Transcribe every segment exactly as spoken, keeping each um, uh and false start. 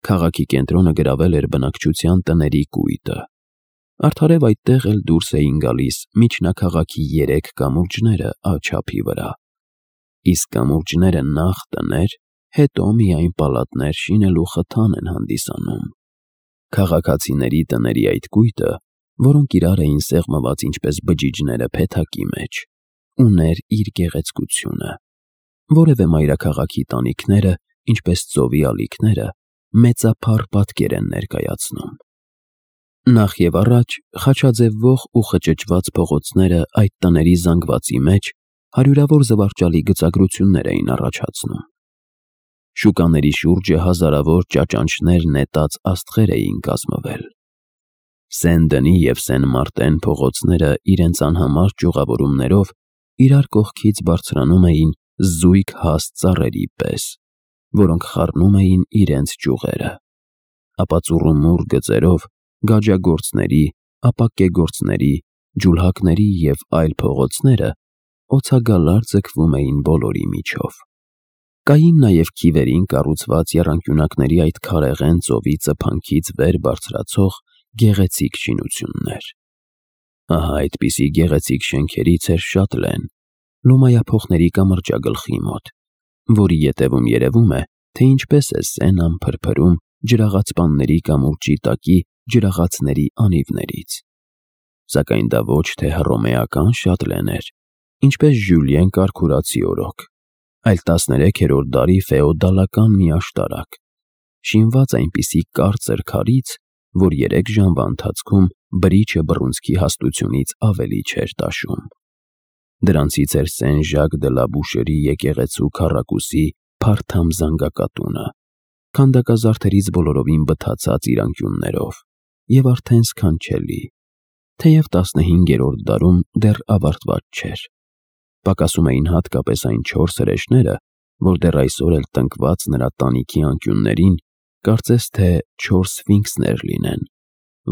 Քաղաքի կենտրոնը գրավել էր բնակչության տների կույտը։ Արդարև այդտեղ էլ դուրս էին գալիս միջնաքաղաքի երեք կամուրջները աջափի վրա։ Իսկ կամուրջները նախ տներ, հետո միայն պալատներ շինելու խթան են հանդիսանում։ Քաղաքացիների տների այդ կույտը, որոնք իրար էին սեղմված ինչպես բջիջները փեթակի մեջ, ուներ իր գեղեցկությունը։ Որևէ մայրաքաղաքի տանիքները, ինչպես ծովի ալիքները, մեծափառ պատկեր են ներկայացնում։ Նախ եւ առաջ խաչաձևվող ու խճճված փողոցները այդ տների զանգվածի մեջ հարյուրավոր զվարճալի գծագրություններ էին առաջացնում։ Շուկաների շուրջը հազարավոր ճաճանճներ նետած աստղեր էին կազմվել։ Սեն-Դենի և Սեն-Մարտեն փողոցները իրենց անհամար ճյուղավորումներով իրար կողքից բարձրանում էին զույգ հաստ ծառերի պես, որոնք խառնում էին իրենց ճյուղերը, ապա ծուռումուռ գծերով գաջագործների, ապակեգործների, ջուլհակների և այլ փողոցները օցագալար ձգվում էին բոլորի միջով։ Կային նաև քիվերին կառուցված եռանկյունակների այդ քարեղեն ծովի ծփանքից վեր բարձրացող գեղեցիկ շինություններ։ Ահա այդպիսի գեղեցիկ շենքերից էր Շատլեն, լոմայափոխների կամրջագլխի մոտ, որի ետևում երևում է, թե ինչպես է Սենան փրփրում ջրաղացպանների կամուրջի տակի ջրաղացների անիվներից։ Սակայն դա ոչ թե հռոմեական Շատլեն էր, ինչպես Ժյուլիեն կարքուրացի օրոք, այլ տասներեքերորդ դարի ֆեոդալական մի աշտարակ, շինված այնպիսի կարծր քարից, որ երեք ժամվա ընթացքում բրիչը բռունցքի հաստությունից ավելի չէր տաշում։ Դրանցից էր Սեն Ժակ դը լա Բուշերի եկեղեցու քառակուսի փարթամ զանգակատունը, քանդակազարդերից բոլորովին բթացած իր անկյուններով և արդեն սքանչելի, թեև տասնհինգերորդ դարում դեռ ավարտված չէր։ Պակասում էին հատկապես այն չորս հրեշները, որ դեռ այսօր էլ տնկված նրա տանիքի անկյուններին, կարծես թե չորս սֆինքսներ լինեն,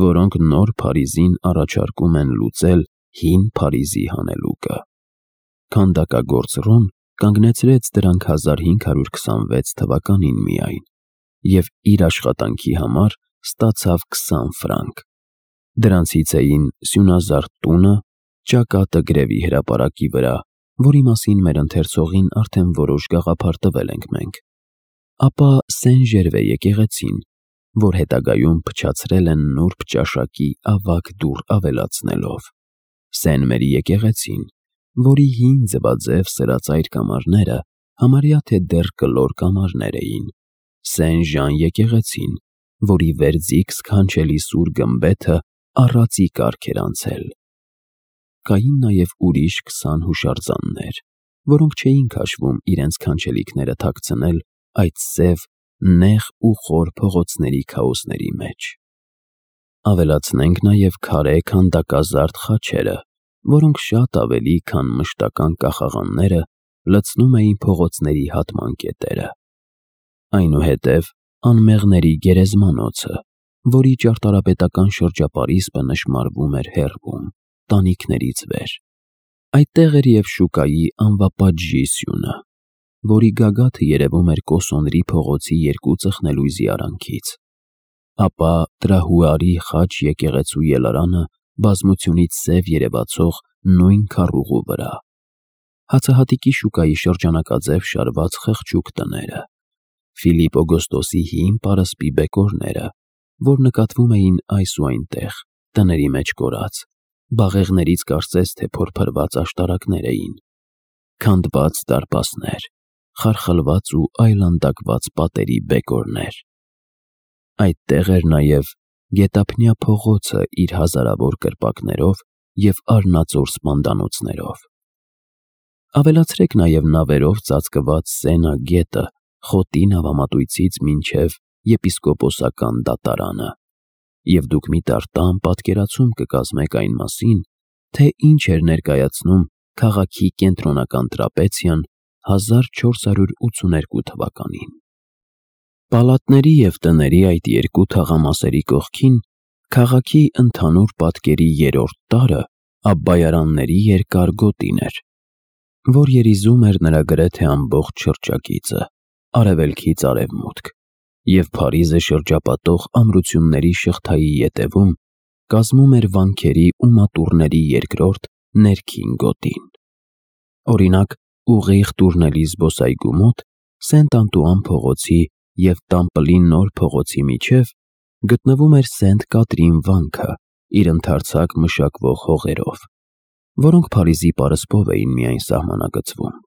որոնք նոր Փարիզին առաջարկում են լուծել հին Փարիզի հանելուկը։ Քանդակագործ Ռոն կանգնեցրեց դրանք հազար հինգ հարյուր քսանվեց թվականին միայն և իր աշխատանքի համար ստացավ քսան ֆրանկ։ Դրանցից էին սյունազարդ տունը, ճակատը գրևի հրապարակի վրա, որի մասին մեր ընթերցողին արդեն որոշ գաղափար տվել ենք մենք, ապա Սեն Ժերվե եկեղեցին, որ հետագայում փչացրել են նուրբ ճաշակի ավագ դուռ ավելացնելով, Սեն Մերի եկեղեցին, որի հին ձվաձև սրածայր կամարները համարյա թե դեռ կլոր կամարներ էին, Սեն Ժան եկեղեցին, որի վերձիգ սքանչելի սուր գմբեթը առածի կարգ էր անցել։ Կային նաև ուրիշ քսան հուշարձաններ, որոնք չէին քաշվում իրենց քանչելիքները թաքցնել այդ սև, նեղ ու խոր փողոցների քաոսների մեջ։ Ավելացնենք նաև քարե քանդակազարդ խաչերը, որոնք շատ ավելի, քան մշտական կախաղանները, լցնում էին փողոցների հատման կետերը։ Այնուհետև անմեղների գերեզմանոցը, որի ճարտարապետական շրջապարիսպը նշմարվում էր հեռվում, տանիքներից վեր։ Այդտեղ էր և շուկայի անվապատժի սյունը, որի գագաթը երևում էր Կոսոնրի փողոցի երկու ծխնելույզի արանքից, ապա Տրահուարի խաչ եկեղեցու ելարանը բազմությունից սև երևացող նույն քառուղու վրա, հացահատիկի շուկայի շրջանակաձև շարված խղճուկ տները, Ֆիլիպ Օգոստոսի հին պարսպի բեկորները, որ նկատվում էին այս ու այնտեղ, տների մեջ կորած, բաղեղներից կարծես թե փորփրված աշտարակներ էին, քանդված դարպասներ, խարխլված ու այլանդակված պատերի բեկորներ։ Այդտեղ էր նաև Գետափնյա փողոցը իր հազարավոր կրպակներով և արնածոր սպանդանոցներով։ Ավելացրեք նաև նավերով ծածկված Սենա գետը խոտի նավամատույցից մինչև եպիսկոպոսական դատարանը, և դուք մի տարտամ պատկերացում կկազմեք այն մասին, թե ինչ էր ներկայացնում քաղաքի կենտրոնական տրապեցիան հազար չորս հարյուր ութսուներկու թվականին։ Պալատների և տների այդ երկու թաղամասերի կողքին քաղաքի ընդհանուր պատկերի երրորդ տարրը Աբբայարանների երկար գոտին էր, որ երիզում էր նրա գրեթե ամբողջ շրջագիծը, արևելքից արևմուտք, և Փարիզը շրջապատող ամրությունների շղթայի ետևում կազմում էր վանքերի ու մատուռների երկրորդ ներքին գոտին։ Օրինակ, ուղիղ Տուրնելի զբոսայգու մոտ Սենտ-Անտուան փողոցի և Տամպլի նոր փողոցի միջև գտնվում էր Սենտ Կատրին վանքը իր ընդարձակ մշակվող հողերով, որոնք Փարիզի պարսպով էին միայն սահմանագծվում։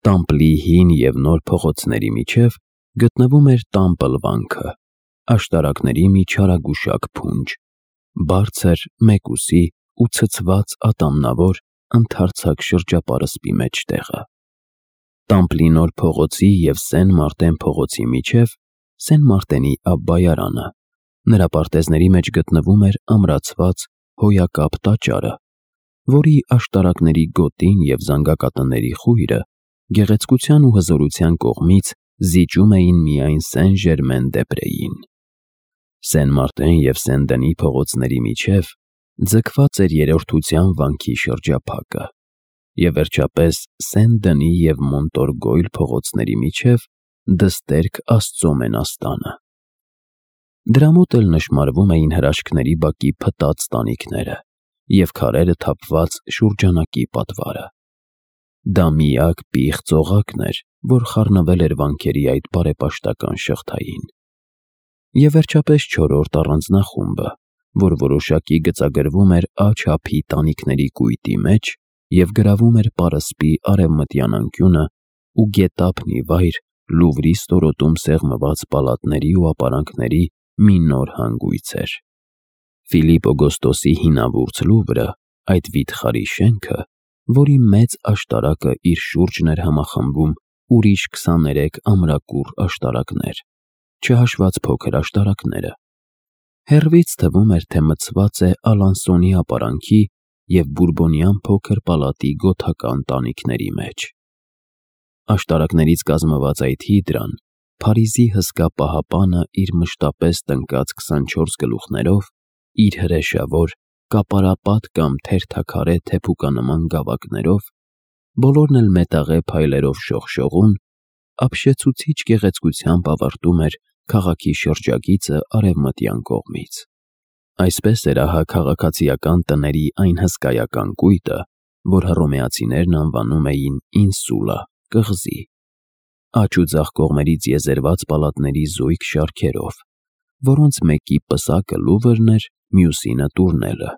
Տամպլի հին և նոր փողոցների միջև գտնվում էր Տամպլ վանքը, աշտարակների մի չարագուշակ փունջ, բարձր, մեկուսի ու ցցված ատամնավոր ընդարձակ շրջապարսպի մեջտեղը։ Տամպլի նոր փողոցի և Սեն Մարտեն փողոցի միջև Սեն Մարտենի ապբայարանը, նրա պարտեզների մեջ գտնվում էր ամրացված հոյակապ տաճարը, որի աշտարակների գոտին և զանգակատների խույրը գեղեցկության ու հզորության կողմից զիջում էին միայն Սեն Ժերմեն դե Պրեին։ Սեն Մարտեն և Սեն Դենի փողոցների միջև ձգված էր Երրորդության վանքի շրջափակը, և վերջապես Սեն Դենի և Մոնտորգոյլ փողոցների միջև դստերք Աստծո մենաստանը։ Դրա մոտ էլ նշմարվում էին հրաշքների բակի փտած տանիքները և քարերը թափված շուրջանակի պատվարը։ Դա միակ պիղծ օղակն էր, որ խառնվել էր վանքերի այդ բարեպաշտական շղթային։ Եվ վերջապես չորրորդ առանձնախումբը, որ որոշակի գծագրվում էր Ա չափի տանիքների կույտի մեջ և գրավում էր պարսպի արևմտյան անկյունը ու գետափն ի վայր Լուվրի ստորոտում սեղմված պալատների ու ապարանքների մի նոր հանգույց էր։ Ֆիլիպ Օգոստոսի հինավուրց Լուվրը, այդ վիթխարի շենքը, որի մեծ աշտարակը իր շուրջն էր համախմբում ուրիշ քսաներեք ամրակուռ աշտարակներ, չհաշված փոքր աշտարակները, հեռվից թվում էր, թե մցված է Ալանսոնի ապարանքի և Բուրբոնյան փոքր պալատի գոթական տանիքների մեջ։ Աշտարակներից կազմված այդ հիդրան, Փարիզի հսկա պահապանը իր մշտապես տնկած քսանչորս գլուխներով, իր հրեշավոր, կապարապատ կամ թերթաքարե թեփուկանման գավակներով, բոլորն էլ մետաղե փայլերով շողշողուն, ապշեցուցիչ գեղեցկությամբ ավարտում էր քաղաքի շրջագիծը արևմտյան կողմից։ Այսպես էր ահա քաղաքացիական տների այն հսկայական կույտը, որ հռոմեացիներն անվանում էին Ինսուլա, կղզի, աջ ու ձախ կողմերից եզերված պալատների զույգ շարքերով, որոնց մեկի պսակը Լուվրն էր, մյուսինը Տուրնելը,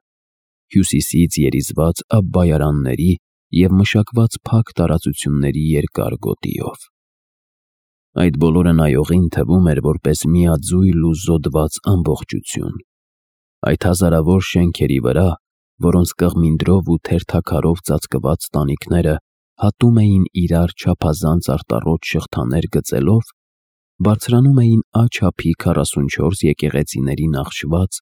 հյուսիսից երիզված ապբայարանների և մշակված փակ տարածությունների երկար գոտիով։ Այդ բոլորը նայողին թվում էր որպես միաձույլ ու զոդված ամբողջություն։ Այդ հազարավոր շենքերի վրա, որոնց կղմինդրով ու թերթաքարով ծածկված տանիքները հատում էին իրար չափազանց արտառոտ շղթաներ գծելով, բարձրանում էին Ա չափի քառասունչորս եկեղեցիների նախշված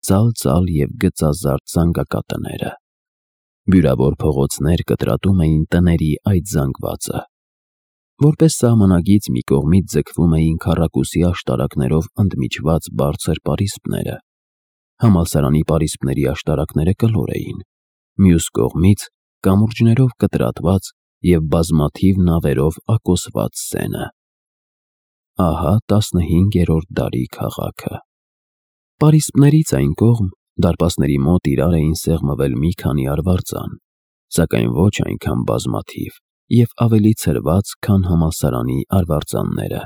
ծալ-ծալ և գծազարդ զանգակատները։ Բյուրավոր փողոցներ կտրատում էին տների այդ զանգվածը։ Որպես սահմանագիծ մի կողմից ձգվում էին քառակուսի աշտարակներով ընդմիջված բարձր պարիսպները, համալսարանի պարիսպների աշտարակները կլոր էին, մյուս կողմից կամուրջներով կտրատված և բազմաթիվ նավերով ակոսված Սենը։ Ահա տասնհինգերորդ դարի քաղաքը։ Պարիսպներից այն կողմ դարպասների մոտ իրար էին սեղմվել մի քանի արվարձան, սակայն ոչ այնքան բազմաթիվ և ավելի ցրված, քան համալսարանի արվարձանները։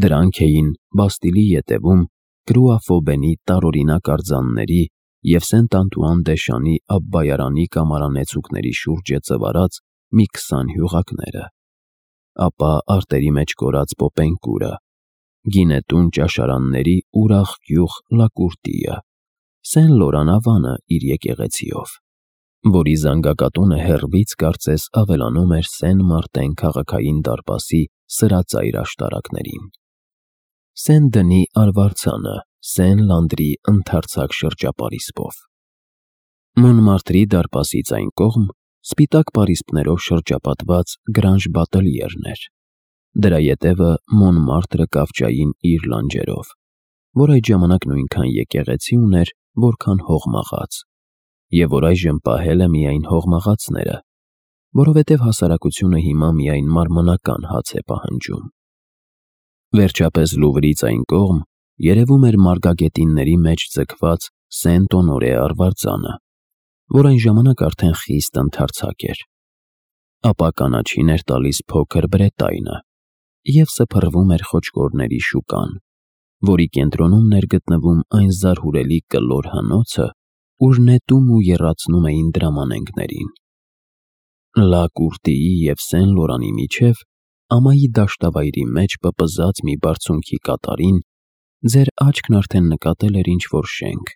Դրանք էին Բաստիլի ետևում Կրուա Ֆոբենի տարօրինակ արձանների և Սենտ-Անտուան դե Շանի ապբայարանի կամարանեցուկների շուրջը ծվարած մի քսան հյուղակները, ապա արտերի մեջ կորած Պոպենկուրը, գինետուն ճաշարանների ուրախ գյուղ Լակուրտիը, Սեն Լորան ավանը իր եկեղեցիով, որի զանգակատունը հեռվից կարծես ավելանում էր Սեն Մարտեն քաղաքային դարպասի սրածայր աշտարակներին, Սեն Դնի արվարձանը Սեն Լանդրի ընդարձակ շրջապարիսպով։ Մոնմարտրի դարպասից այն կողմ սպիտակ պարիսպներով շրջապատված Գրանժ Բատելյերն էր, դրա ետևը Մոնմարտրը կավճային իր լանջերով, որ այդ ժամանակ նույնքան եկեղեցի ուներ, որքան հողմաղաց, և որ այժմ պահել է միայն հողմաղացները, որովհետև հասարակությունը հիմա միայն մարմնական հաց է պահանջում։ Վերջապես Լուվրից այն կողմ երևում էր մարգագետինների մեջ ձգված Սենտ-Օնորե արվարձանը, որ այն ժամանակ արդեն խիստ ընդարձակ էր։ Ապա կանաչին էր տալիս փոքր Բրետայնը և սփռվում էր խոչկորների շուկան, որի կենտրոնում էր գտնվում այն զարհուրելի կլոր հնոցը, ուր նետում ու եռացնում էին դրամանենգներին։ Լա Կուրտիի և Սեն Լորանի միջև, ամայի դաշտավայրի մեջ պպզած մի բարձունքի կատարին, ձեր աչքն արդեն նկատել էր ինչ-որ շենք,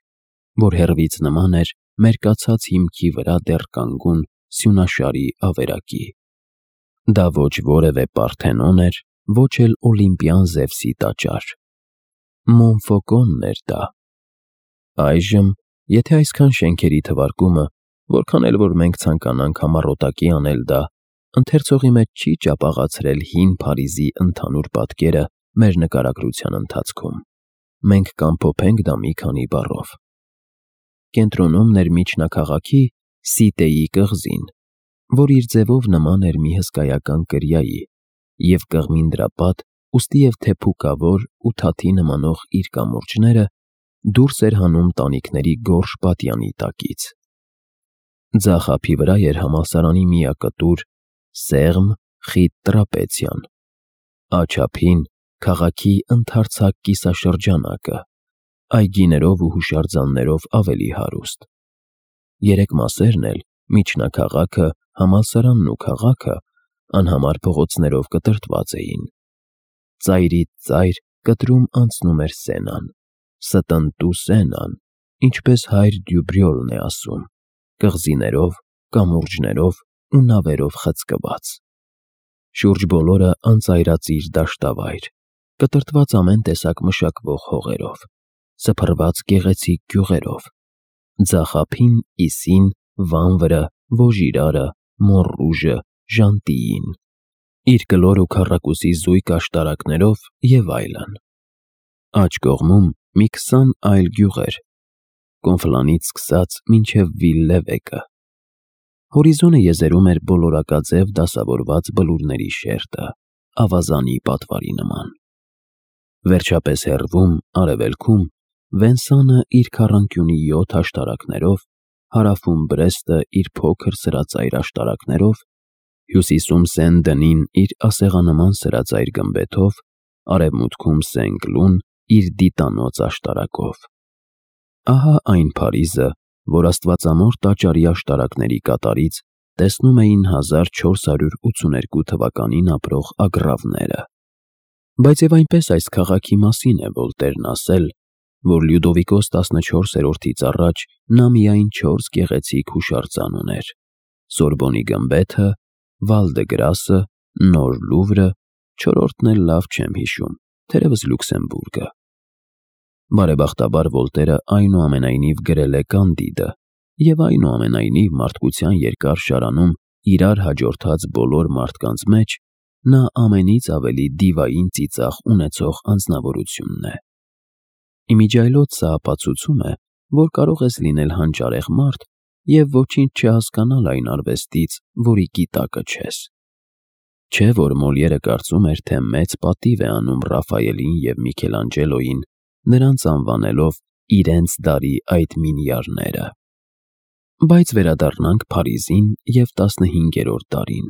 որ հեռվից նման էր մերկացած հիմքի վրա դեռ կանգուն սյունաշարի ավերակի։ Դա ոչ որևէ Պարթենոն էր, ոչ էլ օլիմպյան Զևսի տաճար։ Մոնֆոկոնն էր դա։ Այժմ, եթե այսքան շենքերի թվարկումը, որքան էլ որ մենք ցանկանանք համառոտակի անել դա, ընթերցողի մեջ չի ճապաղացրել հին Փարիզի ընդհանուր պատկերը մեր նկարագրության ընթացքում, մենք կամփոփենք դա մի քանի բառով։ Կենտրոնում էր միջնաքաղաքի Սիտեի կղզին, որ իր ձևով նման էր մի հսկայական կրիայի և կղմին դրա պատ, ուստի և թեփուկավոր ու թաթի նմանող իր կամուրջները դուրս էր հանում տանիքների գորշ պատյանի տակից։ Ձախ ափի վրա էր համալսարանի միակտուր, սեղմ, խիտ տրապեցիան, աջ ափին քաղաքի ընդարձակ կիսաշրջանակը, այգիներով ու հուշարձաններով ավելի հարուստ։ Երեք մասերն էլ՝ միջնաքաղաքը, համալսարանն ու քաղաքը, անհամար փողոցներով կտրտված էին։ Ծայրից ծայր կտրում անցնում էր Սենան, ստնտու Սենան, ինչպես հայր Դյուբրյոլն է ասում, կղզիներով, կամուրջներով ու նավերով խցկված։ Շուրջ բոլորը անծայրածիր դաշտավայր, կտրտված ամեն տեսակ մշակվող հողերով, սփռված գեղեցիկ գյուղերով, ձախ ափին Իսին, Վանվրը, Վոժիրարը, Մոնռուժը, Ժանտիին, իր կլոր ու քառակուսի զույգ աշտարակներով և այլն։ Աջ կողմում մի քսան այլ գյուղեր, Կոնֆլանից սկսած մինչև Վիլլևեկը։ Հորիզոնը եզերում էր բոլորակաձև դասավորված բլուրների շերտը, ավազանի պատվարի նման։ Վերջապես հեռվում, արևելքում, Վենսանը իր քառանկյունի յոթ աշտարակներով, հարավում Բրեստը իր փոքր սրածայր աշտարակներով, հյուսիսում Սեն-Դենին իր ասեղանման սրածայր գմբեթով, արևմուտքում Սեն-Կլուն իր դիտանոց աշտարակով։ Ահա այն Փարիզը, որ Աստվածամոր տաճարի աշտարակների կատարից տեսնում էին հազար չորս հարյուր ութսուներկու թվականին ապրող ագռավները։ Բայց և այնպես այս քաղաքի մասին է Վոլտերն ասել, որ Լյուդովիկոս տասնչորսերորդից առաջ նա միայն չորս գեղեցիկ հուշարձան ուներ՝ Սորբոնի գմբեթը, Վալ դը Գրասը, Նոր Լուվրը, չորրորդն էլ լավ չեմ հիշում, թերևս Լյուքսեմբուրգը։ Բարեբախտաբար Վոլտերը այնուամենայնիվ գրել է Կանդիդը, և այնուամենայնիվ մարդկության երկար շարանում իրար հաջորդած բոլոր մարդկանց մեջ նա ամենից ավելի դիվային ծիծաղ ունեցող անձնավորությունն է։ Իմիջիայլոց սա ապացուցում է, որ կարող ես լինել հանճարեղ մարդ և ոչինչ չհասկանալ այն արվեստից, որի գիտակը չես։ Չէ՞ որ Մոլիերը կարծում էր, թե մեծ պատիվ է անում Ռաֆայելին և Միքելանջելոյին, նրանց անվանելով իրենց դարի այդ մինյարները։ Բայց վերադառնանք Փարիզին և տասնհինգերորդ դարին։